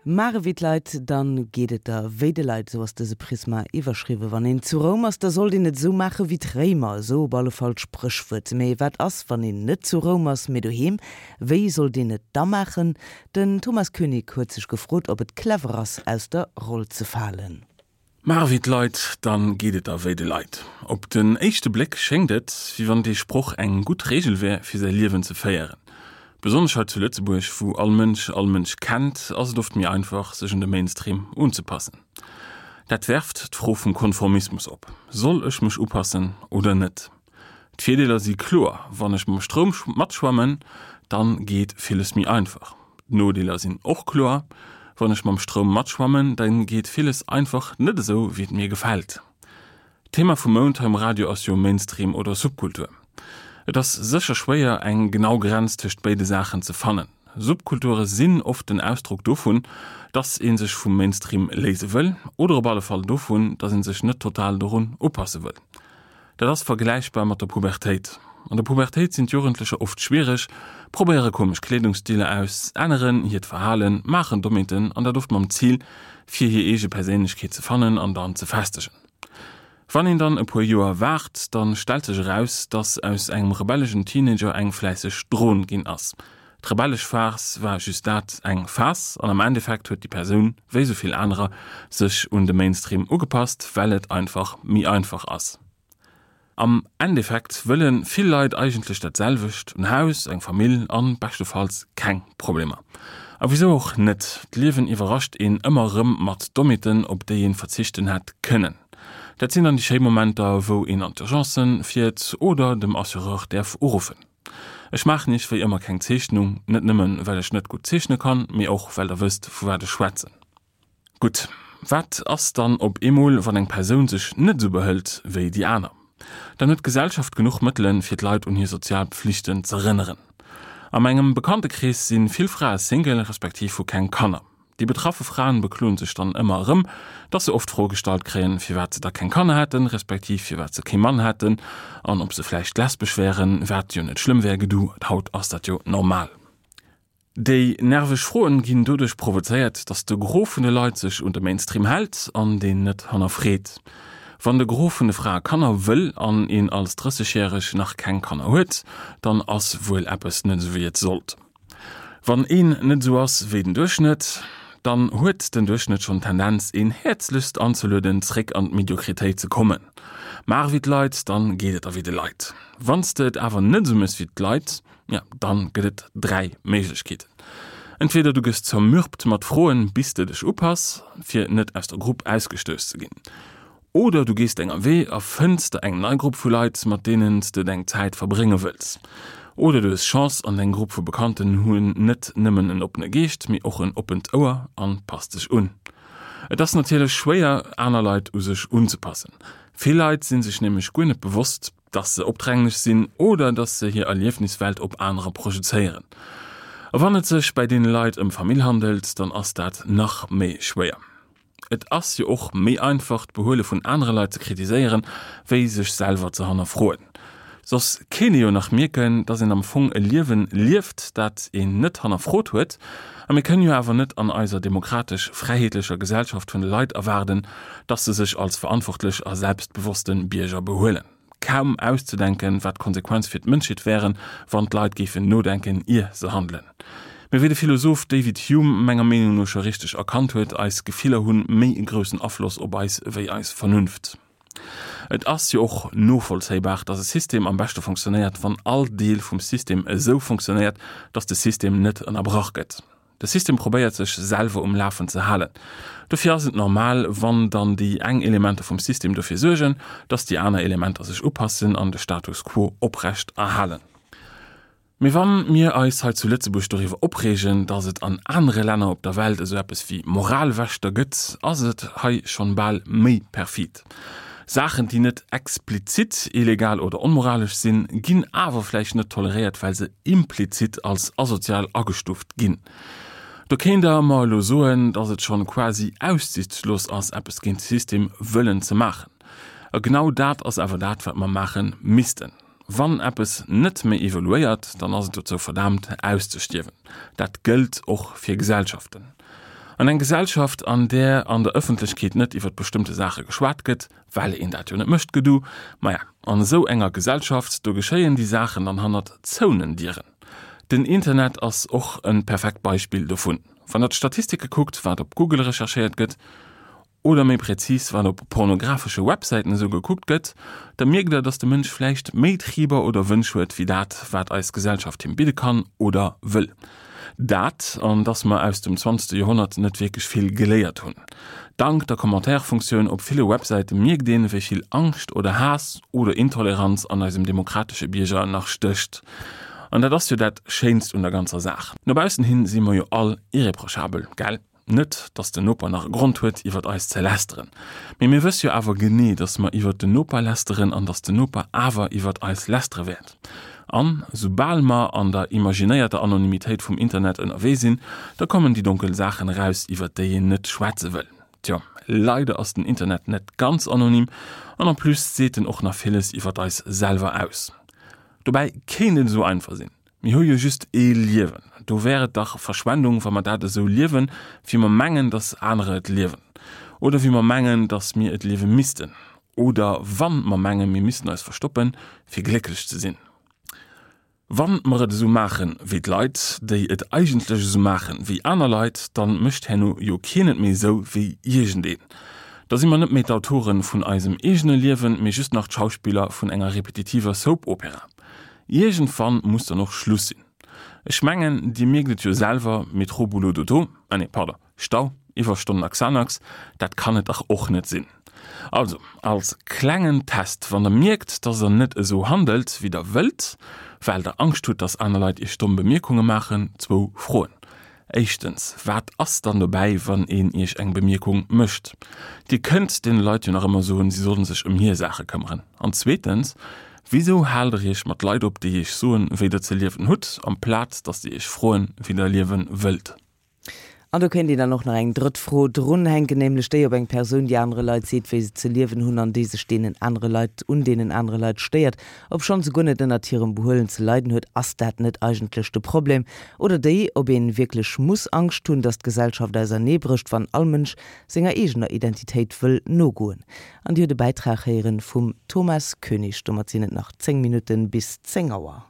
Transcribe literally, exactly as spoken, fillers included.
Maach ewéi d'Leit, dann geet et der wéi de Leit, esou ass dëse Prisma iwwerschriwwen. Wann een zu Roum ass, da sollt een et esou maache wéi d'Réimer, esou op alle Fall d'Spréchwuert. Mee wat ass, wann een net zu Roum ass, mee doheem? Wéi sollt een et da maachen? Den Thomas Koenig huet sech gefrot, ob et clever ass, aus der Roll ze falen. Maach ewéi d'Leit, dann geet et der wéi de Leit. Op den éischte Bléck schéngt et, wéi wann dee Sproch eng gutt Reegel wär, fir säi Liewen ze féieren. Besonnesch hei zu Lëtzebuerg, wou all Mënsch all Mënsch kennt, ass et oft méi einfach, sech un de Mainstream unzepassen. Dat werft d'Fro vum Konformismus op, Soll ech mech upassen oder net? D'Virdeeler si kloer, Wann ech mam Stroum matschwammen, dann geet villes méi einfach. D'Nodeeler sinn och kloer, Wann ech mam Stroum matschwammen, dann geet villes einfach net esou, wéi et mir gefält. D'Thema vum Mount hei um Radio ass jo Mainstream oder Subkultur. Et ass sécher schwéier, eng genau Grenz tëscht béide Saachen ze fannen. Subkulture sinn oft den Ausdrock dovun, dass ee sech vum Mainstream léise wëll, oder op alle Fall dovun, dass ee sech net total dorun upasse wëll. Dat ass vergläichbar mat der Pubertéit. An der Pubertéit sinn d'Jugendlecher oft schwiereg, probéiere komesch Kleedungsstiler aus, änneren hiert Verhalen, maachen Dommheeten, an dat oft mam Zil, fir hir eege Perséinlechkeet ze fannen an dann ze festegen. Wann een dann e puer Joer waart, dann stellt sech eraus, dass aus engem rebelleschen Teenager eng fläisseg Dron ginn ass. D'rebellesch Phas war just dat, eng Phas, an am Endeffekt huet déi Persoun, wéi sou vill anerer, sech un de Mainstream ugepasst, well et einfach méi einfach ass. Am Endeffekt wëllen vill Leit eigentlech dat selwecht, en Haus, eng Famill an beschtefalls keng Problemer. A wisou och net, d'Liewen iwwerrascht een ëmmer erëm mat Dommheeten, op déi een verzichten hätt kënnen. Dat sinn dann déi schéi Momenter, wou een an d'Urgencen fiert oder dem Assureur däerf uruffen. Ech maachen iech wéi ëmmer keng Zeechnung, net nëmmen well ech net gutt zeechne kann, mee och well der wësst vu wat ech schwätzen. Gutt, wat ass dann op eemol, wann eng Persoun sech net esou behëlt wéi déi aner? Dann huet d'Gesellschaft genuch Mëttelen, fir d'Leit un hir sozial Pflichten z'erënneren. A mengem Bekanntekrees si vill Frae Single, respektiv hu keng Kanner. Déi betraffe Fraen bekloen sech dann ëmmer erëm, dass se oft d'Fro gestallt kréien, firwat se da keng Kanner hätten, respektiv firwat se kee Mann hätten an ob se vläicht lesbesch wären, wat jo net schlëmm wär, gedu, haut ass dat jo normal. Déi nerveg Froen ginn doduerch provozéiert, dass de Gros vun de Leit sech un de Mainstream hält an deen net hannerfreet. Wann de Gros vun de Frae Kanner wëll an een als Drëssegjäreg nach keng Kanner huet, dann ass wuel eppes net esou wéi et sollt. Wann een net esou ass wéi den Duerchschnëtt, dann huet den Duerchschnëtt schonn d'Tendenz een häerzlechst anzelueden zréck an d'Mediokritéit ze kommen. Maach ewéi d'Leit, dann geet et der wéi de Leit. Wann s de et awer net esou mëss wéi d'Leit, ja, dann gëtt et dräi Méiglechkeeten. Entweder du gëss zermürbt mat Froen, bis de dech upass, fir net aus der Grupp ausgestouss ze ginn. Oder du gees denger Wee a fënns der eng nei Grupp vu Leit, mat deenen s de deng Zäit verbrénge wëlls. Oder du hues Chance an deng Grupp vu Bekannten hunn net nëmmen en oppene Geescht, mee och en oppent Ouer an passt sech un. Et ass natierlech schwéier, aner Leit u sech unzepassen. Vill Leit si sech nämlech guer net bewosst, dass se opdränglech sinn oder dass se hir Erliefniswelt op anerer projezéieren. A wann et sech bäi deene Leit ëm Famill handelt, dann ass dat nach méi schwéier. Et ass jo och méi einfach, d'Behuele vun anere Leit ze kritiséieren, wéi sech selwer ze hannerfroen. Soss kéint ee jo nach mierken, dass een am Fong e Liewen lieft, dat een net hannerfrot huet. A mir kënnen jo awer net an eiser demokratesch-fräiheetlecher Gesellschaft vun de Leit erwaarden, dass se sech als verantwortlech a selbstbewosste Bierger behuelen. Kaum auszedenken, wat d'Konsequenz fir d'Mënschheet wären, wann d'Leit géifen nodenken, ier se handelen. Mee wéi de Philosoph David Hume menger Meenung no scho richteg erkannt huet, eis Gefiller hunn méi e groussen Afloss op eis wéi eis Vernunft. Et ass jo och novollzéibar, dass e System am beschte funktionéiert, wann all Deel vum System esou funktionéiert, dass de System net ënnerbrach gëtt. De System probéiert sech selwer um Lafen ze halen. Dofir ass et normal, wann dann déi eng Elementer vum System dofir suergen, dass déi aner Elementer sech upassen an de Status quo oprecht erhalen. Mee wann mir eis hei zu Lëtzebuerg doriwwer opreegen, dass et an anere Länner op der Welt esou eppes wéi Moralwächter gëtt, ass et hei schonn bal méi perfid. Saachen, déi net explizit illegal oder onmoralesch sinn, ginn awer vläicht net toleréiert, well se implizit als asozial agestuuft ginn. Do kéint der mer elo soen, dass et schonn quasi aussichtslos ass, eppes géint de System wëllen ze maachen. A genau dat ass awer dat, wat mer maache missten. Wann eppes net méi evoluéiert, dann ass et dozou verdaamt auszestierwen. Dat gëllt och fir Gesellschaften. An eng Gesellschaft, an där an der Ëffentlechkeet net iwwer bestëmmte Saache geschwat gëtt, well een dat jo net mécht, gedu, maja, an esou enger Gesellschaft, do geschéien déi Saachen dann hannert zouenen Dieren. Den Internet ass och e perfekt Beispill dovun. Wann der d'Statistike kuckt, wat op Google recherchéiert gëtt, oder méi präzis, wat op pornografesche Websäiten esou gekuckt gëtt, da mierkt der, dass de Mënsch vläicht méi Triber oder Wënsch huet wéi dat, wat eis Gesellschaft him bidde kann oder wëll. Dat, an dass mer aus dem zwanzegste Joerhonnert net wierklech vill geléiert hunn. Dank der Commentaire-Funktioun op ville Websäite mierkt een, wéi vill Angscht oder Haass oder Intoleranz an eisem demokratesche Bierger nach stécht. An dat ass jo dat Schéinst un der ganzer Saach. No baussen hin si mer jo all irreprochabel, gell? Net, dass den Noper nach e Grond huet, iwwert eis ze lästeren. Mee mir wësse jo awer genee, dass mer iwwert den Noper lästeren an dass den Noper awer iwwert eis lästere wäert. An soubal mer an der imaginéierter Anonymitéit vum Internet ënnerwee sinn, da kommen déi donkel Saachen eraus, iwwert déi een net schwätze wëll. Tjo, leider ass den Internet net ganz anonym an en plus seet en och nach villes iwwert eis selwer aus. Dobäi kéint et esou einfach sinn. Mir hu jo just ee Liewen. Do wär et dach Verschwendung, wa mer dat esou liewen, wéi mer mengen, dass anerer et liewen. Oder wéi mer mengen, dass mir et liewe missten. Oder wann mer mengen, mir missten eis verstoppen, fir glécklech ze sinn. Wann mer et esou maachen, wéi d'Leit, déi et eigentlech esou maachen, wéi aner Leit, dann mécht herno jo keen et méi esou wéi iergendeen. Da si mer net méi d'Autoren vun eisem eegene Liewen, mee just nach d'Schauspiller vun enger repetitiver Soap-Opera. Iergendwann muss dann och Schluss sinn. Ech mengen, Dir mierkt et jo selwer, Métro, Boulot, Dodo, ah nee, pardon, Stau, Iwwerstonnen a Xanax, dat kann et dach och net sinn. Also, als klengen Test, wann der mierkt, dass der net esou handelt, wéi der wëllt, well der Angscht hutt, dass aner Leit iech domm Bemierkunge maachen, zwou Froen. Éischtens, wat ass dann dobäi, wann een iech eng Bemierkung mécht? Dir kënnt deene Leit jo nach ëmmer soen, si sollen sech ëm hir Saache këmmeren. An zweetens, wisou haalt der iech mat Leit op, déi iech soen, wéi der ze liewen hutt, amplaz dass déi iech froen, wéi der liewe wëllt? An do kéint een dann och nach eng drëtt Fro drunhänken, nämlech déi, ob eng Persoun, déi anere Leit seet, wéi se ze liewen hunn an déi sech deenen anere Leit, un deenen anere Leit stéiert, obschonn se guer net ënnert hirem Behuelen ze leiden huet, ass dat net eigentlech de Problem? Oder déi, ob een wierklech muss Angscht hunn, dass d'Gesellschaft auserneebrécht, wann all Mënsch senger eegener Identitéit wëll nogoen? An Dir hutt e Bäitrag héieren vum Thomas Koenig. Domat sinn et nach zéng Minutten bis zéng Auer.